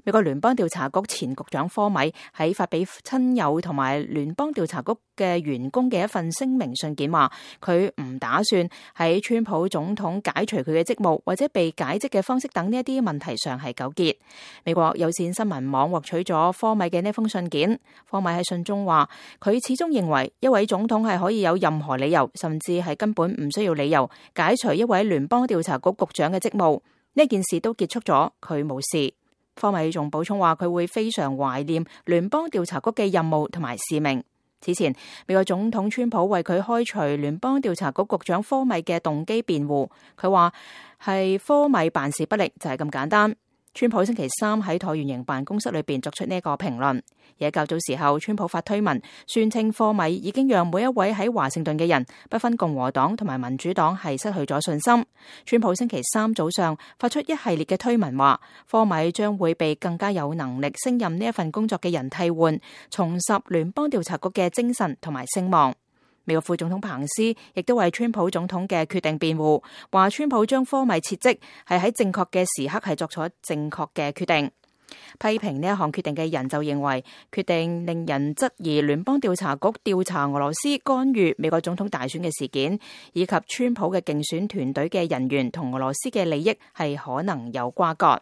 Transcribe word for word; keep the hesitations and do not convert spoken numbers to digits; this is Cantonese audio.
美國聯邦調查局前局長科米喺發俾親友同埋聯邦調查局嘅員工嘅一份聲明信件話，佢唔打算喺川普總統解除佢嘅職務或者被解職嘅方式等呢一啲問題上係糾結。美國有線新聞網獲取咗科米嘅呢封信件，科米喺信中話，佢始終認為一位總統係可以有任何理由，甚至係根本唔需要理由解除一位聯邦調查局局長嘅職務。呢件事都結束咗，佢冇事。科米仲補充話，佢會非常懷念聯邦調查局嘅任務同埋使命。此前，美國總統川普為佢開除聯邦調查局局長科米嘅動機辯護，佢話係科米辦事不力，就係咁簡單。川普星期三喺橢圓形辦公室裏邊作出呢個評論。而喺較早時候，川普發推文宣稱科米已經讓每一位喺華盛頓嘅人，不分共和黨同埋民主黨，係失去咗信心。川普星期三早上發出一系列嘅推文，話科米將會被更加有能力勝任呢一份工作嘅人替換，重拾聯邦調查局嘅精神同埋聲望。美國副總統彭斯亦都為川普總統嘅決定辯護，話川普將科米撤職係喺正確嘅時刻係作出正確嘅決定。批評呢一項決定嘅人就認為，決定令人質疑聯邦調查局調查俄羅斯干預美國總統大選嘅事件，以及川普嘅競選團隊嘅人員同俄羅斯嘅利益係可能有瓜葛。